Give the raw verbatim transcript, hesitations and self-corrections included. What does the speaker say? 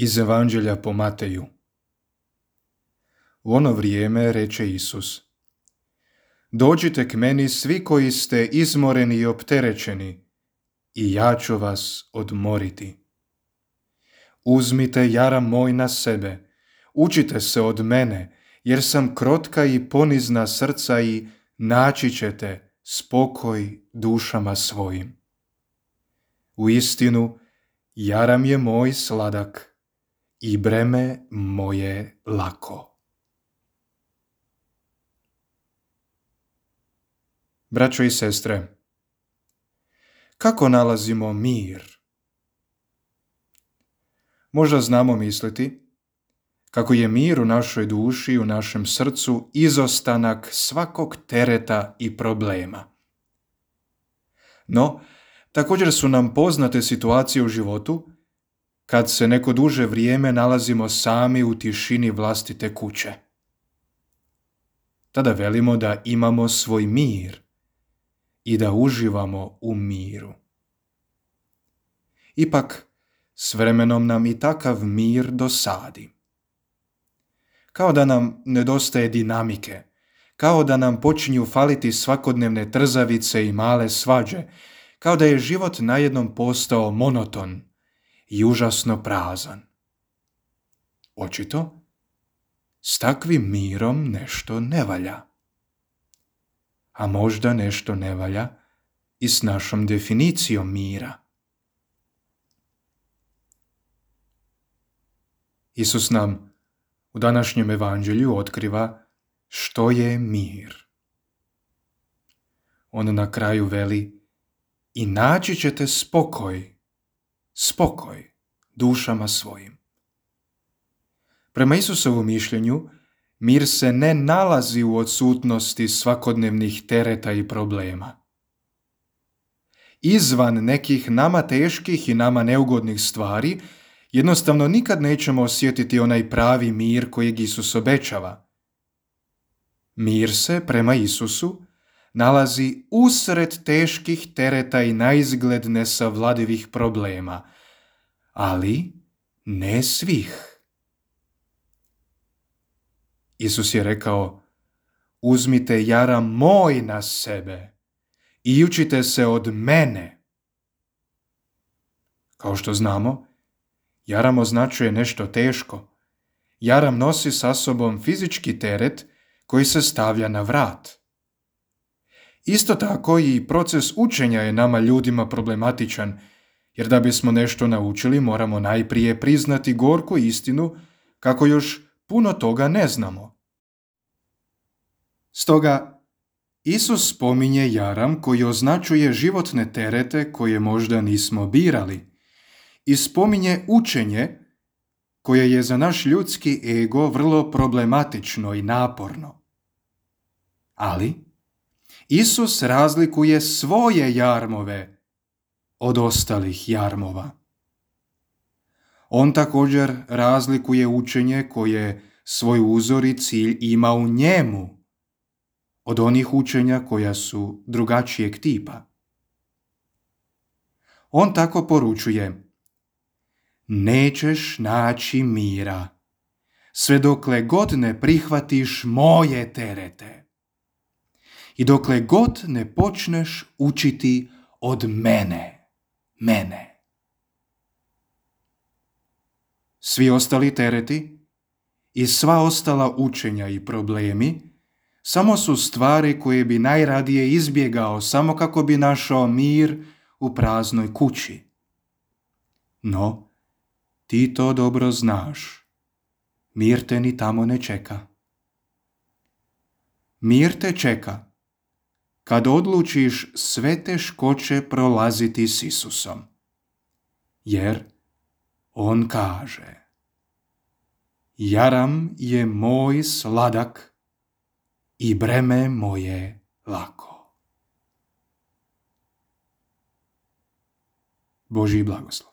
Iz Evanđelja po Mateju. U ono vrijeme reče Isus: Dođite k meni svi koji ste izmoreni i opterećeni, i ja ću vas odmoriti. Uzmite jaram moj na sebe, učite se od mene, jer sam krotka i ponizna srca i naći ćete spokoj dušama svojim. Uistinu, jaram je moj sladak i breme moje lako. Braćo i sestre, kako nalazimo mir? Možda znamo misliti kako je mir u našoj duši, u našem srcu izostanak svakog tereta i problema. No, također su nam poznate situacije u životu kad se neko duže vrijeme nalazimo sami u tišini vlastite kuće. Tada velimo da imamo svoj mir i da uživamo u miru. Ipak, s vremenom nam i takav mir dosadi. Kao da nam nedostaje dinamike, kao da nam počinju faliti svakodnevne trzavice i male svađe, kao da je život najednom postao monoton i užasno prazan. Očito, s takvim mirom nešto ne valja. A možda nešto ne valja i s našom definicijom mira. Isus nam u današnjem evanđelju otkriva što je mir. On na kraju veli: i naći ćete spokoj, spokoj dušama svojim. Prema Isusovom mišljenju, mir se ne nalazi u odsutnosti svakodnevnih tereta i problema. Izvan nekih nama teških i nama neugodnih stvari, jednostavno nikad nećemo osjetiti onaj pravi mir kojeg Isus obećava. Mir se, prema Isusu, nalazi usred teških tereta i naizgled nesavladivih problema, ali ne svih. Isus je rekao: uzmite jaram moj na sebe i učite se od mene. Kao što znamo, jaram označuje nešto teško. Jaram nosi sa sobom fizički teret koji se stavlja na vrat. Isto tako i proces učenja je nama ljudima problematičan, jer da bismo nešto naučili moramo najprije priznati gorku istinu kako još puno toga ne znamo. Stoga, Isus spominje jaram koji označuje životne terete koje možda nismo birali i spominje učenje koje je za naš ljudski ego vrlo problematično i naporno. Ali Isus razlikuje svoje jarmove od ostalih jarmova. On također razlikuje učenje koje svoj uzor i cilj ima u njemu od onih učenja koja su drugačijeg tipa. On tako poručuje: nećeš naći mira sve dokle god ne prihvatiš moje terete i dokle god ne počneš učiti od mene, mene. Svi ostali tereti i sva ostala učenja i problemi samo su stvari koje bi najradije izbjegao samo kako bi našao mir u praznoj kući. No, ti to dobro znaš. Mir te ni tamo ne čeka. Mir te čeka kad odlučiš sve teškoće prolaziti s Isusom. Jer on kaže: jaram je moj sladak i breme moje lako. Božji blagoslov.